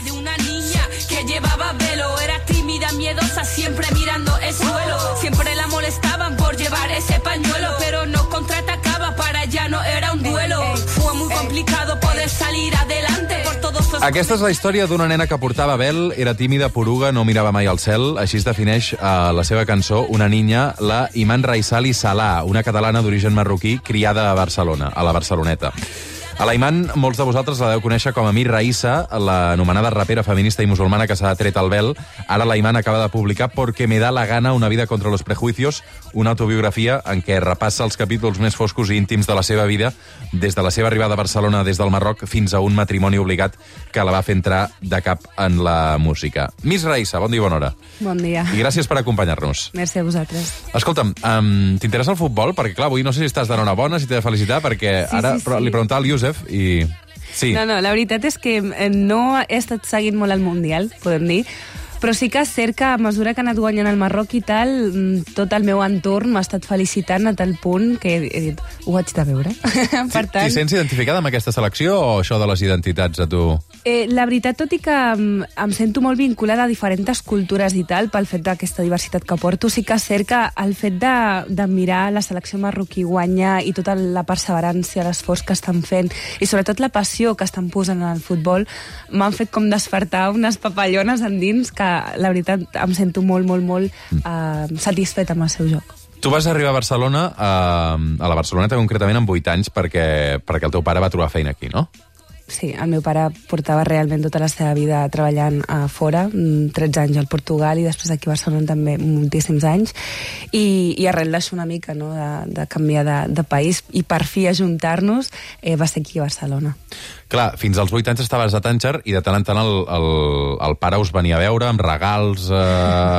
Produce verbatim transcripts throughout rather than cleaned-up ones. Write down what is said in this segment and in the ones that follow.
de una niña que llevaba velo. Era tímida, miedosa, siempre mirando el suelo. Siempre la molestaban por llevar ese pañuelo, pero no contraatacaba, para ella no era un duelo. Fue muy complicado poder salir adelante por todos los... Aquesta és la història d'una nena que portava vel, era tímida, poruga, no mirava mai al cel. Així es defineix a la seva cançó Una niña, la Iman Raissali Salà, una catalana d'origen marroquí criada a Barcelona, a la Barceloneta. A la Iman, molts de vosaltres la deu conèixer com a Mir Raissa, l'anomenada rapera feminista i musulmana que s'ha tret el vel. Ara la Iman acaba de publicar Porque me da la gana, una vida contra los prejuicios, una autobiografia en què repassa els capítols més foscos i íntims de la seva vida, des de la seva arribada a Barcelona des del Marroc fins a un matrimoni obligat que la va fer entrar de cap en la música. Miss Raissa, bon dia i bona hora. Bon dia. I gràcies per acompanyar-nos. Merci a vosaltres. Escolta'm, um, t'interessa el futbol? Perquè, clar, avui no sé si estàs d'enhorabona, si t'he de felicitar, perquè sí, ara sí, sí. li preguntava al Youssef i... Sí. No, no, la veritat és que no he estat seguint molt el Mundial, podem dir, però sí que és cert que a mesura que ha anat guanyant el Marroc i tal, tot el meu entorn m'ha estat felicitant a tal punt que he dit, ho haig de veure. Per tant... T'hi sents identificada amb aquesta selecció o això de les identitats a tu? Eh, la veritat, tot i que em, em sento molt vinculada a diferents cultures i tal, pel fet d'aquesta diversitat que porto, sí que és cert que el fet de, de mirar la selecció marroquí guanyar i tota la perseverància, l'esforç que estan fent i sobretot la passió que estan posant en el futbol m'han fet com despertar unes papallones endins que la veritat em sento molt, molt, molt eh, satisfeta amb el seu joc. Tu vas arribar a Barcelona, eh, a la Barceloneta concretament, amb vuit anys perquè, perquè el teu pare va trobar feina aquí, no? Sí, el meu pare portava realment tota la seva vida treballant a fora, tretze anys al Portugal i després aquí a Barcelona també moltíssims anys, i, i arrel d'això una mica, no?, de, de canviar de, de país i per fi ajuntar-nos, eh, va ser aquí a Barcelona. Clar, fins als vuit anys estaves a Tànger i de tant en tant el, el, el pare us venia a veure amb regals, eh,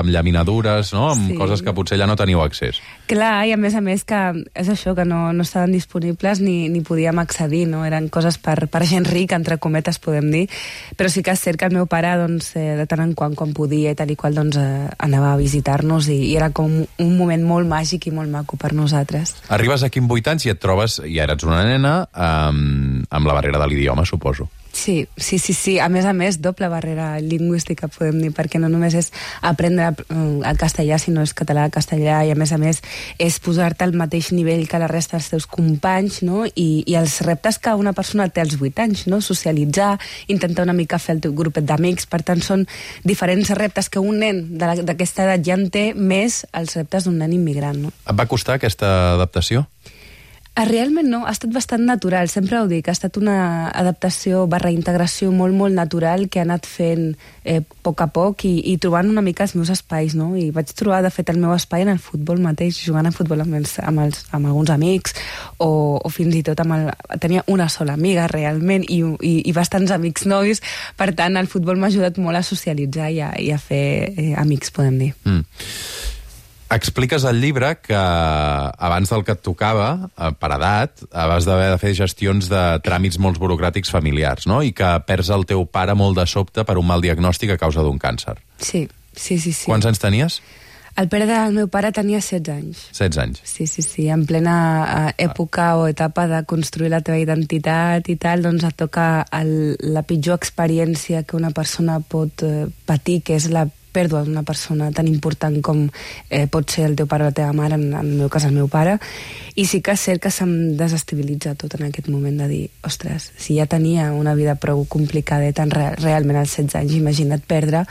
amb llaminadures, no?, amb sí. Coses que potser ja no teníeu accés. Clar, i a més a més que és això, que no, no estaven disponibles ni, ni podíem accedir, no? Eren coses per, per gent rica, entre cometes, podem dir, però sí que és cert que el meu pare, doncs, eh, de tant en quant, quan podia i tal i qual, doncs, eh, anava a visitar-nos i, i era com un moment molt màgic i molt maco per nosaltres. Arribes aquí amb vuit anys i et trobes, ja eres una nena, amb, amb la barrera de l'idioma, suposo. Sí, sí, sí, sí. A més a més, doble barrera lingüística, podem dir, perquè no només és aprendre el castellà, sinó és català-castellà, i a més a més és posar-te al mateix nivell que la resta dels teus companys, no? I, i els reptes que una persona té als vuit anys, no? Socialitzar, intentar una mica fer el teu grupet d'amics, per tant són diferents reptes que un nen d'aquesta edat ja en té, més els reptes d'un nen immigrant, no? Et va costar aquesta adaptació? Realment no, ha estat bastant natural, sempre ho dic, ha estat una adaptació barra integració molt, molt natural que ha anat fent eh, a poc a poc i, i trobant una mica els meus espais, no? I vaig trobar, de fet, el meu espai en el futbol mateix, jugant a futbol amb, els, amb, els, amb alguns amics o, o fins i tot amb el... Tenia una sola amiga, realment, i, i, i bastants amics nois, per tant, el futbol m'ha ajudat molt a socialitzar i a, i a fer eh, amics, podem dir. Mm. Expliques al llibre que abans del que et tocava, per edat, vas d'haver de fer gestions de tràmits molt burocràtics familiars, no? I que perds el teu pare molt de sobte per un mal diagnòstic a causa d'un càncer. Sí, sí, sí, sí. Quants anys tenies? El pare del meu pare tenia setze anys. setze anys. Sí, sí, sí. En plena època o etapa de construir la teva identitat i tal, doncs et toca el, la pitjor experiència que una persona pot eh, patir, que és la pèrdua d'una persona tan important com eh, pot ser el teu pare o la teva mare, en, en el meu cas el meu pare, i sí que és cert que se'm desestabilitza tot en aquest moment de dir, ostres, si ja tenia una vida prou complicada tan re realment als setze anys, imagina't perdre,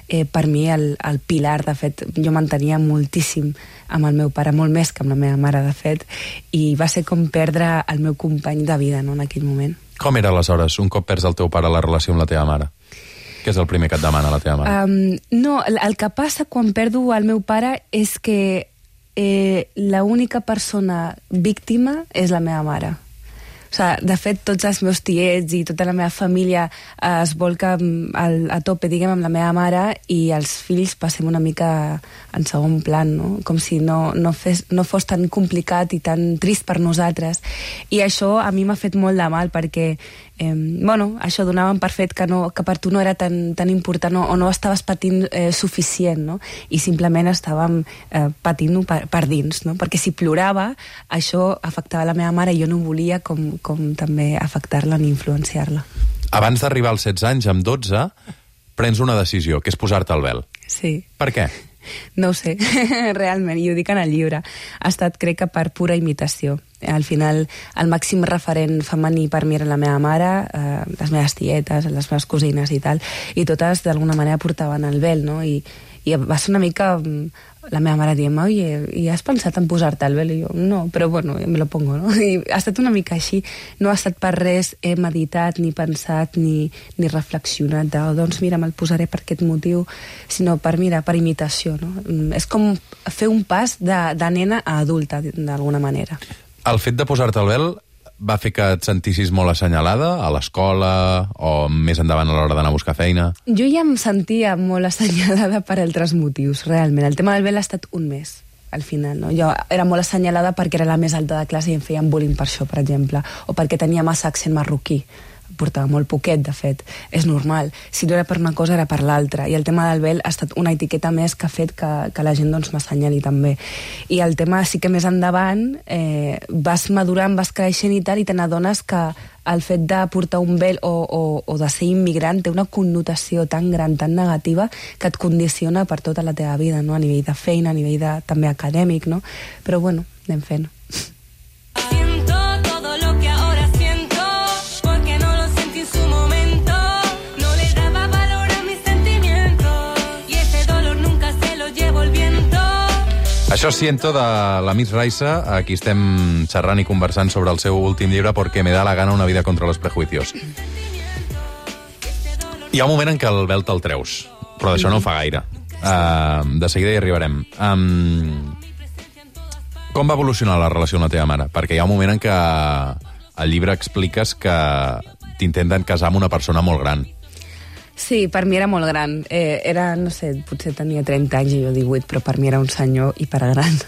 eh, per mi el, el pilar, de fet, jo m'entenia moltíssim amb el meu pare, molt més que amb la meva mare, de fet, i va ser com perdre el meu company de vida, no?, en aquell moment. Com era aleshores, un cop perds el teu pare, la relació amb la teva mare? Què és el primer que et demana la teva mare? Um, no, el, el que passa quan perdo el meu pare és que eh, l'única persona víctima és la meva mare. O sigui, de fet, tots els meus tiets i tota la meva família eh, es volca al, a tope, diguem, amb la meva mare, i els fills passem una mica en segon plan, no? Com si no, no, fes, no fos tan complicat i tan trist per nosaltres. I això a mi m'ha fet molt de mal, perquè eh, bueno, això donaven per fet que, no, que per tu no era tan, tan important, no, o no estaves patint eh, suficient, no? I simplement estàvem eh, patint-ho per, per dins, no? Perquè si plorava, això afectava la meva mare i jo no volia com, com també afectar-la ni influenciar-la. Abans d'arribar als setze anys, amb dotze, prens una decisió, que és posar-te el vel. Sí. Per què? No ho sé, realment, i ho dic en el llibre. Ha estat, crec que, per pura imitació. Al final, el màxim referent femení per mi era la meva mare, eh, les meves tietes, les meves cosines i tal, i totes, d'alguna manera, portaven el vel, no? I, i va ser una mica la meva mare dient, oye, i has pensat en posar-te el vel? I jo, no, però bueno, me lo pongo, no? I ha estat una mica així. No ha estat per res, he meditat, ni pensat, ni, ni reflexionat de, oh, doncs mira, me'l posaré per aquest motiu, sinó per, mira, per imitació, no? És com fer un pas de, de nena a adulta, d'alguna manera. El fet de posar-te el vel va fer que et sentissis molt assenyalada a l'escola o més endavant a l'hora d'anar a buscar feina? Jo ja em sentia molt assenyalada per altres motius, realment. El tema del vel ha estat un mes, al final, no? Jo era molt assenyalada perquè era la més alta de classe i em feien bullying per això, per exemple, o perquè tenia massa accent marroquí. Portava molt poquet, de fet. És normal. Si no era per una cosa, era per l'altra. I el tema del vel ha estat una etiqueta més que ha fet que, que la gent doncs, m'assenyali també. I el tema sí que més endavant eh, vas madurant, vas creixent i tal, i te n'adones que el fet de portar un vel o, o, o de ser immigrant té una connotació tan gran, tan negativa, que et condiciona per tota la teva vida, no? A nivell de feina, a nivell de, també acadèmic, no? Però bueno, anem fent. Això siento de la Miss Raisa, aquí estem xerrant i conversant sobre el seu últim llibre Porque me da la gana una vida contra los prejuicios. Hi ha un moment en què el vel te'l treus, però d'això no fa gaire. Uh, de seguida hi arribarem. Um, com va evolucionar la relació amb la teva mare? Perquè hi ha un moment en què al llibre expliques que t'intenten casar amb una persona molt gran. Sí, per mi era molt gran. Eh, era, no sé, potser tenia trenta anys i jo divuit, però per mi era un senyor hipergran.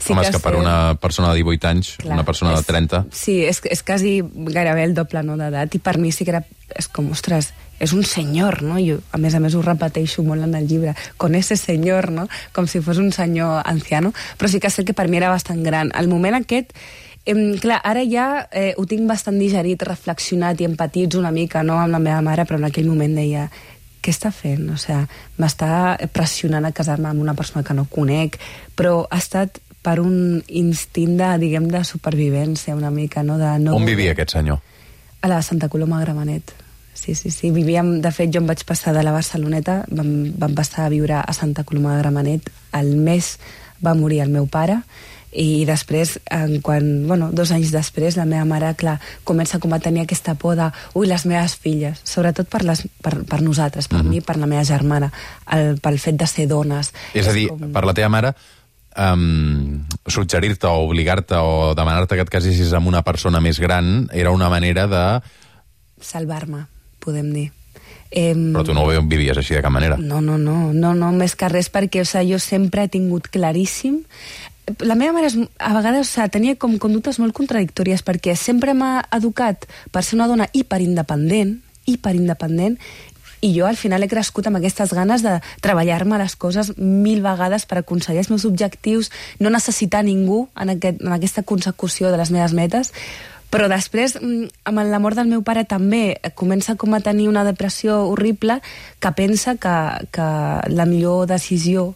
Sí. Home, és que, que per una persona de divuit anys, clar, una persona és, de trenta... Sí, és, és quasi gairebé el doble, no, d'edat, i per mi sí que era... És com, ostres, és un senyor, no? Jo, a més a més, ho repeteixo molt en el llibre, con ese senyor, no? Com si fos un senyor anciano, però sí que sé que per mi era bastant gran. El moment aquest... Eh, clar, ara ja eh, ho tinc bastant digerit, reflexionat i empatits una mica, no, amb la meva mare, però en aquell moment deia, què està fent? O sigui, m'està pressionant a casar-me amb una persona que no conec, però ha estat per un instint de, diguem, de supervivència una mica, no? De no... On vivia aquest senyor? A la Santa Coloma de Gramenet. Sí, sí, sí. Vivíem, de fet, jo em vaig passar de la Barceloneta, vam, vam passar a viure a Santa Coloma de Gramenet, al mes va morir el meu pare, i després, en quan, bueno, dos anys després, la meva mare, clar, comença com a tenir aquesta por de, ui, les meves filles, sobretot per, les, per, per nosaltres, per mm-hmm. mi, per la meva germana, el, pel fet de ser dones. És a dir, com... per la teva mare, um, suggerir-te o obligar-te o demanar-te que et casessis amb una persona més gran era una manera de... salvar-me, podem dir. Eh, Però tu no ho vivies així de cap manera. No, no, no, no, no més que res, perquè o sigui, jo sempre he tingut claríssim. La meva mare, a vegades, o sigui, tenia com conductes molt contradictòries, perquè sempre m'ha educat per ser una dona hiperindependent, hiperindependent, i jo al final he crescut amb aquestes ganes de treballar-me les coses mil vegades per aconseguir els meus objectius, no necessitar ningú en, aquest, en aquesta consecució de les meves metes. Però després, amb la mort del meu pare també, comença com a tenir una depressió horrible, que pensa que, que la millor decisió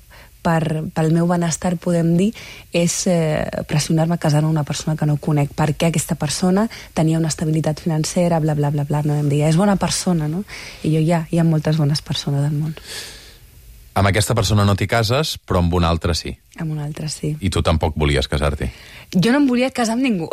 per, pel meu benestar, podem dir, és eh, pressionar-me a casar amb una persona que no conec, perquè aquesta persona tenia una estabilitat financera, bla, bla, bla, bla, no em deia, és bona persona, no? I jo, ja, hi ha moltes bones persones al món. Amb aquesta persona no t'hi cases, però amb una altra sí. Amb una altra sí. I tu tampoc volies casar-t'hi? Jo no em volia casar amb ningú.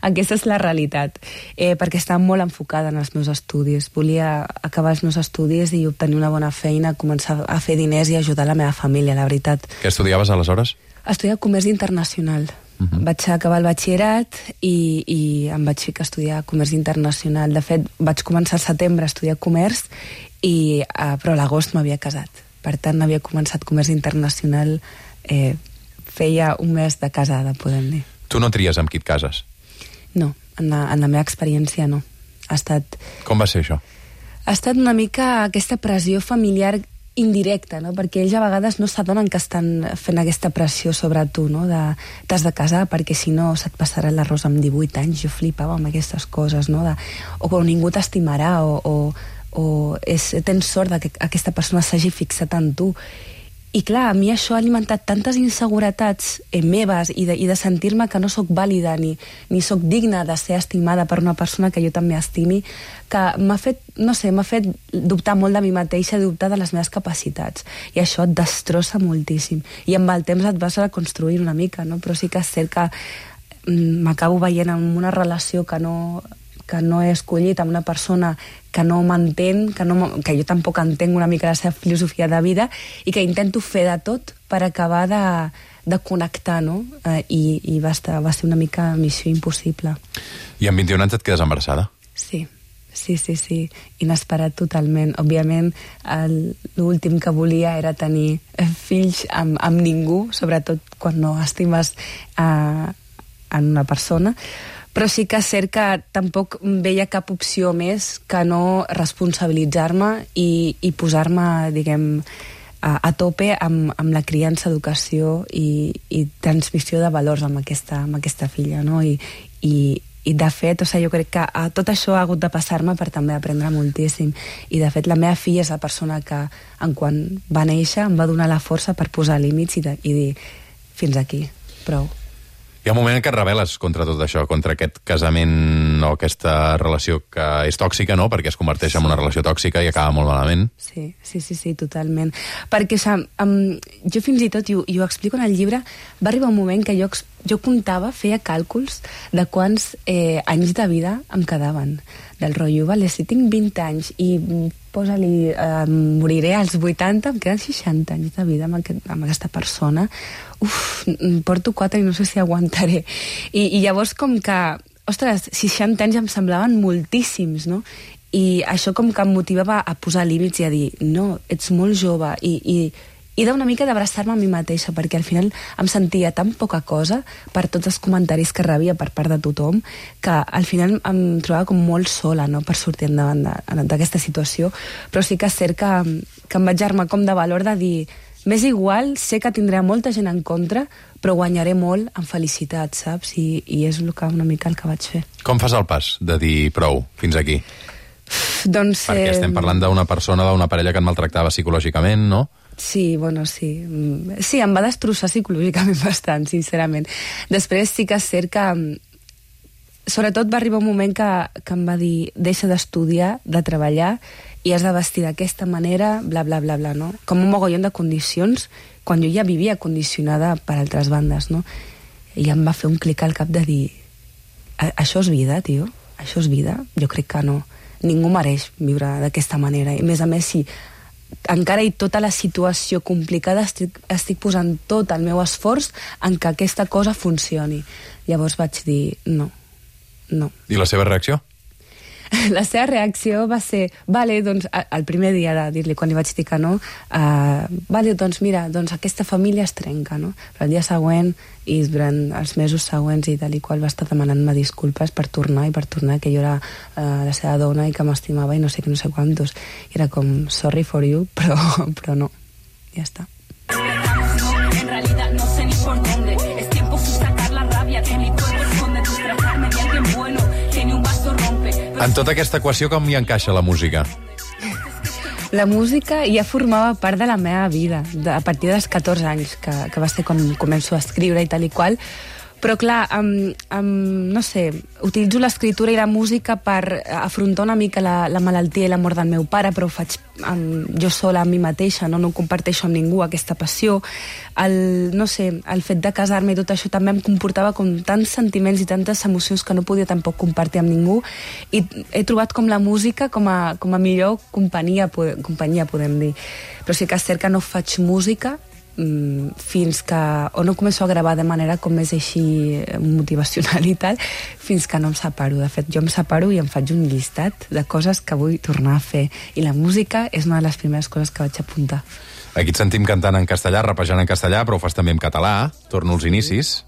Aquesta és la realitat. Eh, perquè estava molt enfocada en els meus estudis. Volia acabar els meus estudis i obtenir una bona feina, començar a fer diners i ajudar la meva família, la veritat. Què estudiaves aleshores? Estudiava comerç internacional. Uh-huh. Vaig acabar el batxillerat i, i em vaig ficar a estudiar comerç internacional. De fet, vaig començar al setembre a estudiar comerç, i, uh, però a l'agost m'havia casat. Per tant, havia començat comerç internacional, eh, feia un mes de casada, podem dir. Tu no tries amb qui et cases? No, en la, en la meva experiència no. Ha estat... Com va ser això? Ha estat una mica aquesta pressió familiar indirecta, no? Perquè ells a vegades no s'adonen que estan fent aquesta pressió sobre tu, no? De, t'has de casar perquè si no se't passarà l'arròs amb divuit anys. Jo flipava amb aquestes coses, no? De, o, o ningú t'estimarà, o... o o és, tens sort de que aquesta persona s'hagi fixat en tu. I clar, a mi això ha alimentat tantes inseguretats eh, meves i de, i de sentir-me que no sóc vàlida ni, ni sóc digna de ser estimada per una persona que jo també estimi, que m'ha fet, no sé, m'ha fet dubtar molt de mi mateixa, dubtar de les meves capacitats. I això et destrossa moltíssim. I amb el temps et vas reconstruir una mica, no? Però sí que és cert que mm, m'acabo veient en una relació que no... que no he escollit amb una persona que no m'entén, que, no, que jo tampoc entenc una mica la seva filosofia de vida i que intento fer de tot per acabar de, de connectar, no? Eh, i i va, estar, va ser una mica missió impossible. I amb vint-i-un anys et quedes embarassada? Sí, sí, sí, sí. Inesperat totalment. Òbviament, l'últim que volia era tenir fills amb, amb ningú, sobretot quan no estimes eh, en una persona, però sí que és cert que tampoc veia cap opció més que no responsabilitzar-me i, i posar-me, diguem, a, a tope amb, amb la criança, educació i, i transmissió de valors amb aquesta, amb aquesta filla, no? I, i, i de fet, o sigui, jo crec que a, tot això ha hagut de passar-me per també aprendre moltíssim. I de fet, la meva filla és la persona que, en quan va néixer, em va donar la força per posar límits i, de, i dir, fins aquí, prou. Hi ha un moment en què et rebel·les contra tot això, contra aquest casament o aquesta relació que és tòxica, no?, perquè es converteix sí. en una relació tòxica i acaba molt malament. Sí, sí, sí, sí, totalment. Perquè, o sigui, um, jo fins i tot, i ho, i ho explico en el llibre, va arribar un moment que jo, jo comptava, feia càlculs de quants eh, anys de vida em quedaven. Del rotllo, vale, si tinc vint anys i posa-li, eh, moriré als vuitanta, em queden seixanta anys de vida amb, aquest, amb aquesta persona. Uf, porto quatre i no sé si aguantaré. I, i llavors com que, ostres, seixanta anys em semblaven moltíssims, no? I això com que em motivava a posar límits i a dir, no, ets molt jove, i, i, i d'una mica d'abraçar-me a mi mateixa, perquè al final em sentia tan poca cosa per tots els comentaris que rebia per part de tothom, que al final em trobava com molt sola, no?, per sortir endavant d'aquesta situació. Però sí que és cert que, que em vaig armar com de valor de dir, m'és igual, sé que tindré molta gent en contra, però guanyaré molt en felicitat, saps? I, i és el que, una mica el que vaig fer. Com fas el pas de dir prou, fins aquí? Doncs... Perquè estem parlant d'una persona, d'una parella que et maltractava psicològicament, no? Sí, bueno, sí. Sí, em va destrossar psicològicament bastant, sincerament. Després sí que és cert que... Sobretot va arribar un moment que, que em va dir deixa d'estudiar, de treballar, i has de vestir d'aquesta manera, bla, bla, bla, bla, no? Com un mogollon de condicions, quan jo ja vivia condicionada per altres bandes, no? I em va fer un clic al cap de dir això és vida, tio? Això és vida? Jo crec que no. Ningú mereix viure d'aquesta manera. I a més a més, si encara i tota la situació complicada estic, estic posant tot el meu esforç en que aquesta cosa funcioni. Llavors vaig dir no, no. I la seva reacció? La seva reacció va ser, vale, doncs, el primer dia de dir-li, quan li vaig dir que no, uh, vale, doncs mira, doncs aquesta família es trenca, no? Però el dia següent i durant els mesos següents i tal i qual va estar demanant-me disculpes per tornar i per tornar, que jo era uh, la seva dona i que m'estimava i no sé què, no sé quantos. I era com, sorry for you, però, però no. Ja està. En realidad no sé ni por dónde. Es tiempo de sacar la rabia que mi cuerpo esconde, disfrazarme de alguien bueno que ni un vaso rompe. En tota aquesta equació, com hi encaixa la música? La música ja formava part de la meva vida, de, a partir dels catorze anys, que, que va ser quan començo a escriure i tal i qual. Però clar, um, um, no sé, utilitzo l'escriptura i la música per afrontar una mica la, la malaltia i la mort del meu pare, però ho faig um, jo sola amb mi mateixa, no, no ho comparteixo amb ningú, aquesta passió. El, no sé, el fet de casar-me i tot això també em comportava com tants sentiments i tantes emocions que no podia tampoc compartir amb ningú, i he trobat com la música com a, com a millor companyia, companyia, podem dir. Però sí que és cert que no faig música fins que, o no començo a gravar de manera com més així motivacional i tal, fins que no em separo. De fet, jo em separo i em faig un llistat de coses que vull tornar a fer, i la música és una de les primeres coses que vaig apuntar. Aquí et sentim cantant en castellà, rapejant en castellà, però ho fas també en català. Torno als inicis,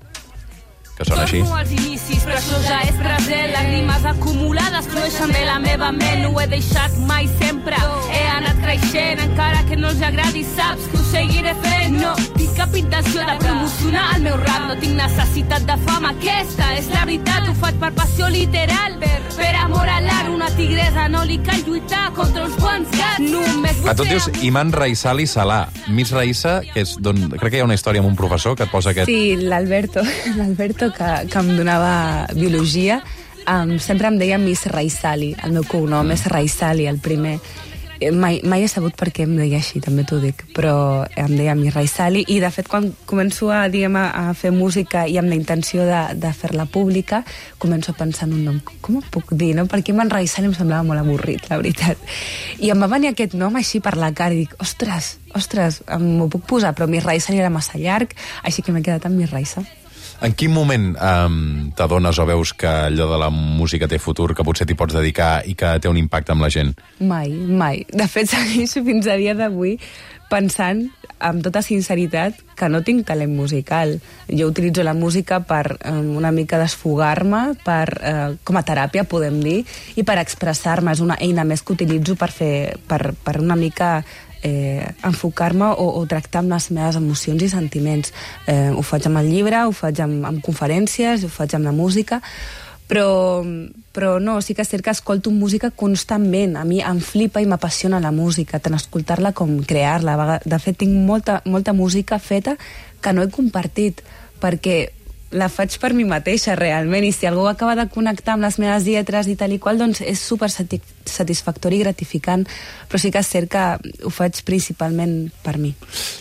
que són així. Torno als inicis, però això ja és present. Lágrimes acumulades flueixen de la meva ment. No ho he deixat mai, sempre he anat creixent. creixent, encara que no els agradi, saps que ho seguiré fent. No tinc cap intenció de promocionar el meu rap, no tinc necessitat de fama, aquesta és la veritat. Ho faig per passió literal, per, per amor a l'art. Una tigresa no li cal lluitar contra uns quants gats. Només a tu et dius Iman Raissali Salà. Miss Raissa, que és don... crec que hi ha una història amb un professor que et posa aquest... Sí, l'Alberto, l'Alberto que, que em donava biologia, um, sempre em deia Miss Raissali. El meu cognom és Raissali, el primer. Mai, mai he sabut per què em deia així, també t'ho dic, però em deia Miss Raissali, i de fet quan començo a, diguem, a fer música i amb la intenció de, de fer-la pública, començo a pensar en un nom, com ho puc dir, no? Perquè Iman Raissali em semblava molt avorrit, la veritat. I em va venir aquest nom així per la cara i dic, ostres, ostres, m'ho puc posar, però Miss Raissali era massa llarg, així que m'he quedat amb Miss Raissa. En quin moment um, t'adones o veus que allò de la música té futur, que potser t'hi pots dedicar i que té un impacte amb la gent? Mai, mai. De fet, segueixo fins a dia d'avui pensant, amb tota sinceritat, que no tinc talent musical. Jo utilitzo la música per um, una mica desfogar-me, per, uh, com a teràpia, podem dir, i per expressar-me. És una eina més que utilitzo per, fer, per, per una mica... Eh, enfocar-me o, o tractar amb les meves emocions i sentiments. Eh, ho faig amb el llibre, ho faig amb, amb conferències, ho faig amb la música, però, però no, sí que és cert que escolto música constantment. A mi em flipa i m'apassiona la música, tant escoltar-la com crear-la. De fet, tinc molta, molta música feta que no he compartit, perquè la faig per mi mateixa, realment, i si algú acaba de connectar amb les meves lletres i tal i qual, doncs és super satisfactori i gratificant, però sí que és cert que ho faig principalment per mi.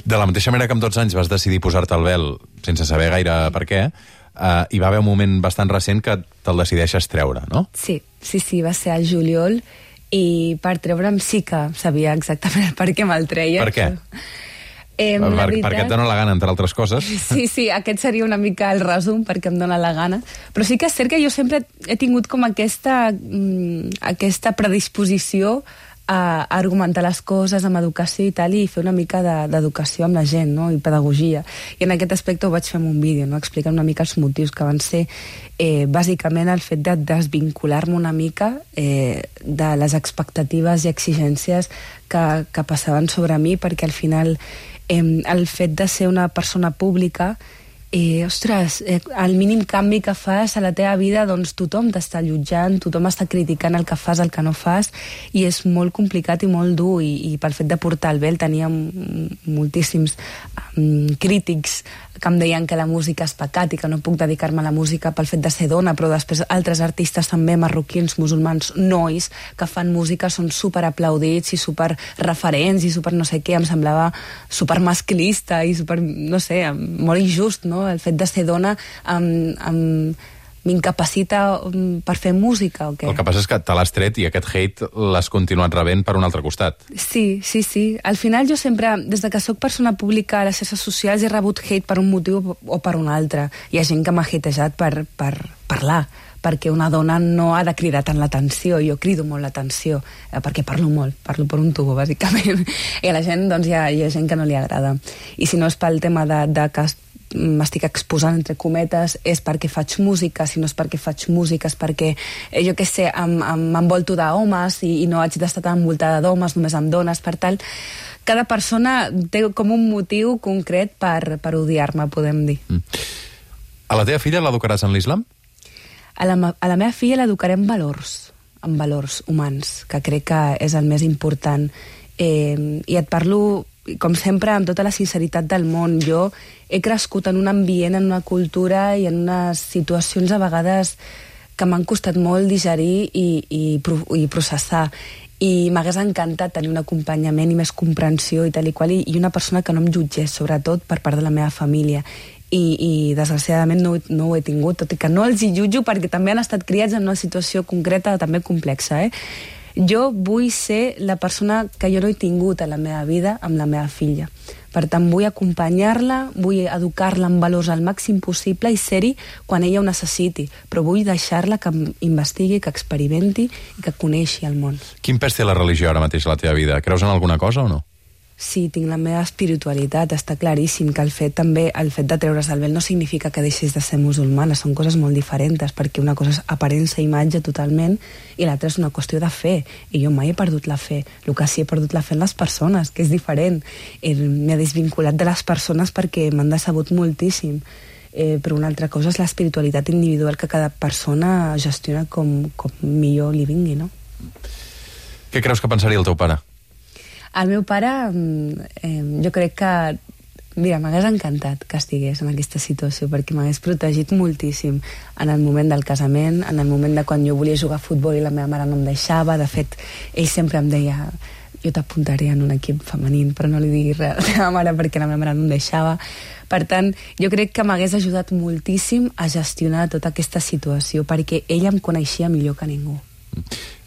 De la mateixa manera que amb dotze anys vas decidir posar-te el vel sense saber gaire per què, uh, hi va haver un moment bastant recent que te'l decideixes treure, no? Sí, sí, sí, va ser al juliol, i per treure'm sí que sabia exactament per què me'l treia. Per què? Eh, per, veritat... perquè et dona la gana, entre altres coses. Sí, sí, aquest seria una mica el resum, perquè em dona la gana. Però sí que és cert que jo sempre he tingut com aquesta, mm, aquesta predisposició a argumentar les coses amb educació i tal, i fer una mica d'educació amb la gent, no? I pedagogia. I en aquest aspecte ho vaig fer en un vídeo, no? Explicant una mica els motius, que van ser eh, bàsicament el fet de desvincular-me una mica eh, de les expectatives i exigències que, que passaven sobre mi, perquè al final eh, el fet de ser una persona pública, Eh, ostres, eh, el mínim canvi que fas a la teva vida, doncs tothom t'està allotjant, tothom està criticant el que fas, el que no fas, i és molt complicat i molt dur, i, i pel fet de portar el vel tenia moltíssims um, crítics que em deien que la música és pecat i que no puc dedicar-me a la música pel fet de ser dona, però després altres artistes també, marroquins, musulmans, nois, que fan música, són super aplaudits i super referents i super no sé què, em semblava super masclista i super, no sé, molt injust, no? El fet de ser dona um, um, m'incapacita per fer música o què? El que passa és que te l'has tret i aquest hate l'has continuat rebent per un altre costat. Sí, sí, sí. Al final jo sempre, des de que soc persona pública a les xarxes socials, he rebut hate per un motiu o per un altre. Hi ha gent que m'ha hatejat per, per parlar, perquè una dona no ha de cridar tant l'atenció. Jo crido molt l'atenció, eh, perquè parlo molt, parlo per un tubo, bàsicament. I a la gent, doncs, hi ha, hi ha gent que no li agrada. I si no és pel tema de, de que m'estic exposant, entre cometes, és perquè faig música. Si no és perquè faig música, és perquè, eh, jo què sé, m'envolto d'homes i, i no haig d'estar tan envoltada d'homes, només amb dones, per tal. Cada persona té com un motiu concret per, per odiar-me, podem dir. Mm. A la teva filla l'educaràs en l'islam? A la, a la meva filla l'educaré en valors, en valors humans, que crec que és el més important. Eh, I et parlo, com sempre, amb tota la sinceritat del món. Jo he crescut en un ambient, en una cultura i en unes situacions a vegades que m'han costat molt digerir i, i, i processar. I m'hagués encantat tenir un acompanyament i més comprensió i tal i qual, i, i una persona que no em jutgés, sobretot per part de la meva família. I, i desgraciadament no, no ho he tingut, tot i que no els hi jutjo perquè també han estat criats en una situació concreta també complexa, eh? Jo vull ser la persona que jo no he tingut a la meva vida amb la meva filla. Per tant, vull acompanyar-la, vull educar-la en valors al màxim possible i ser-hi quan ella ho necessiti, però vull deixar-la que investigui, que experimenti i que coneixi el món. Quin pes té la religió ara mateix a la teva vida? Creus en alguna cosa o no? Sí, tinc la meva espiritualitat, està claríssim que el fet també, el fet de treure's el vel no significa que deixis de ser musulmana, són coses molt diferents, perquè una cosa és aparença i imatge totalment i l'altra és una qüestió de fe, i jo mai he perdut la fe, el que sí he perdut la fe en les persones, que és diferent. M'he desvinculat de les persones perquè m'han decebut moltíssim, eh, però una altra cosa és l'espiritualitat individual que cada persona gestiona com, com millor li vingui, no? Què creus que pensaria el teu pare? El meu pare, eh, jo crec que... Mira, m'hagués encantat que estigués en aquesta situació perquè m'hagués protegit moltíssim en el moment del casament, en el moment de quan jo volia jugar a futbol i la meva mare no em deixava. De fet, ell sempre em deia jo t'apuntaré en un equip femení, però no li diguis res a la meva mare perquè la meva mare no em deixava. Per tant, jo crec que m'hagués ajudat moltíssim a gestionar tota aquesta situació perquè ella em coneixia millor que ningú.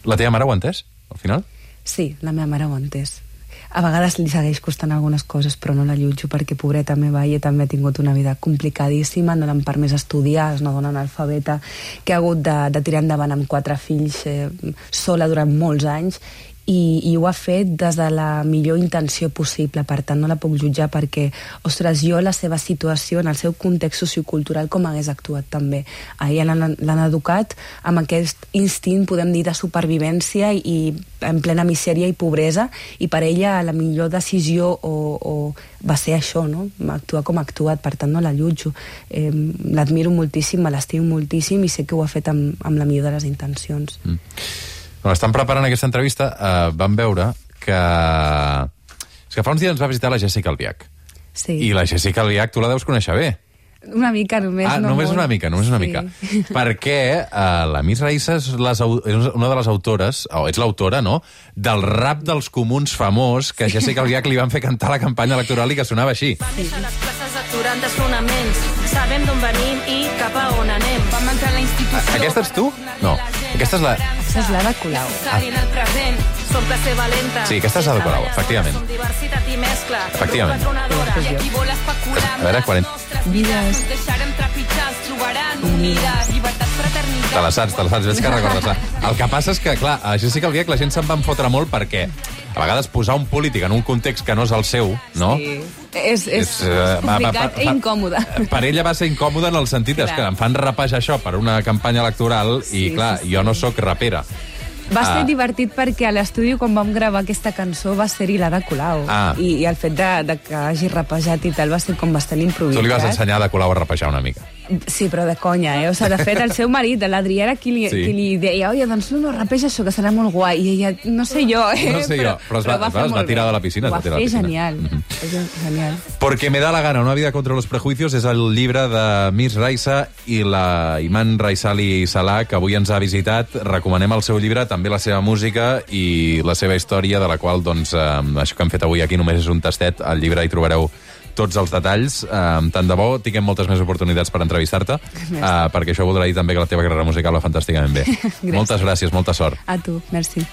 La teva mare ho ha entès, al final? Sí, la meva mare ho ha entès. A vegades li segueix costant algunes coses, però no la llutjo perquè, pobreta meva, ella també ha tingut una vida complicadíssima, no l'han permès estudiar, és una dona analfabeta que ha hagut de, de tirar endavant amb quatre fills eh, sola durant molts anys, i, i ho ha fet des de la millor intenció possible. Per tant, no la puc jutjar perquè, ostres, jo la seva situació, en el seu context sociocultural, com hagués actuat també. A ella l'han educat amb aquest instint, podem dir, de supervivència i en plena misèria i pobresa, i per ella la millor decisió o, o va ser això, no? Actuar com ha actuat, per tant no la jutjo. Eh, l'admiro moltíssim, me l'estimo moltíssim i sé que ho ha fet amb, amb la millor de les intencions. Mm. Quan estan preparant aquesta entrevista, eh, vam veure que... És que fa uns dies ens va visitar la Jessica Albiach. Sí. I la Jessica Albiach tu la deus conèixer bé. Una mica, només. Ah, no només molt. una mica, només una Sí. mica. Perquè eh, la Miss Raissa és, les, és una de les autores, o és l'autora, no?, del rap dels comuns famós que a Jessica Albiach li van fer cantar a la campanya electoral i que sonava així. Vam néixer a les classes aturant desfonaments. Sabem d'on venim i cap a on anem. Vam entrar a la institució... Aquesta ets tu? No. Aquesta és la... Aquesta és l'Ada Colau. Ah. En el present, som classe valenta. Sí, aquesta és Ada Colau, efectivament. Som diversitat i mescla. Efectivament. Patronadora, i aquí vol especular. A veure, quan... Vides. Ens deixarem trepitjar, ens trobaran unides. Llibertat, fraternitat. Te la saps, te la saps, veig que recordes. El que passa és que, clar, a Jessica Albiach la gent se'n van fotre molt perquè a vegades posar un polític en un context que no és el seu, no? Sí. És, és, És, eh, va- va- complicat va- i incòmode. Per ella va ser incòmode en el sentit és Clar. que em fan rapejar això per una campanya electoral Sí, i, clar, sí, sí. jo no sóc rapera. Va ser Ah. divertit perquè a l'estudi, quan vam gravar aquesta cançó, va ser-hi l'Ada Colau. Ah. I, I el fet de, de que hagi rapejat i tal va ser com bastant improvisat. Tu li vas ensenyar a Colau a rapejar una mica. Sí, però de conya, eh? O sigui, de fet, el seu marit, l'Adrià, era qui li, Sí. qui li deia oi, doncs no, no, rapeja això, que serà molt guai. I ella, no sé jo, eh? No sé jo, però es va- fer es va molt tirar bé. de la piscina, es Ho va va tirar de fer la piscina. genial. Mhm. És genial. Porque me da la gana, una vida contra los prejuicios és el llibre de Miss Raissa i la Iman Raissali Salah, que avui ens ha visitat. Recomanem el seu llibre, també la seva música i la seva història, de la qual, doncs, eh, això que hem fet avui aquí només és un tastet. Al llibre hi trobareu tots els detalls. Eh, tant de bo tinguem moltes més oportunitats per entrevistar-te, eh, perquè això voldrà dir també que la teva carrera musical va fantàsticament bé. Moltes gràcies, molta sort. A tu, merci.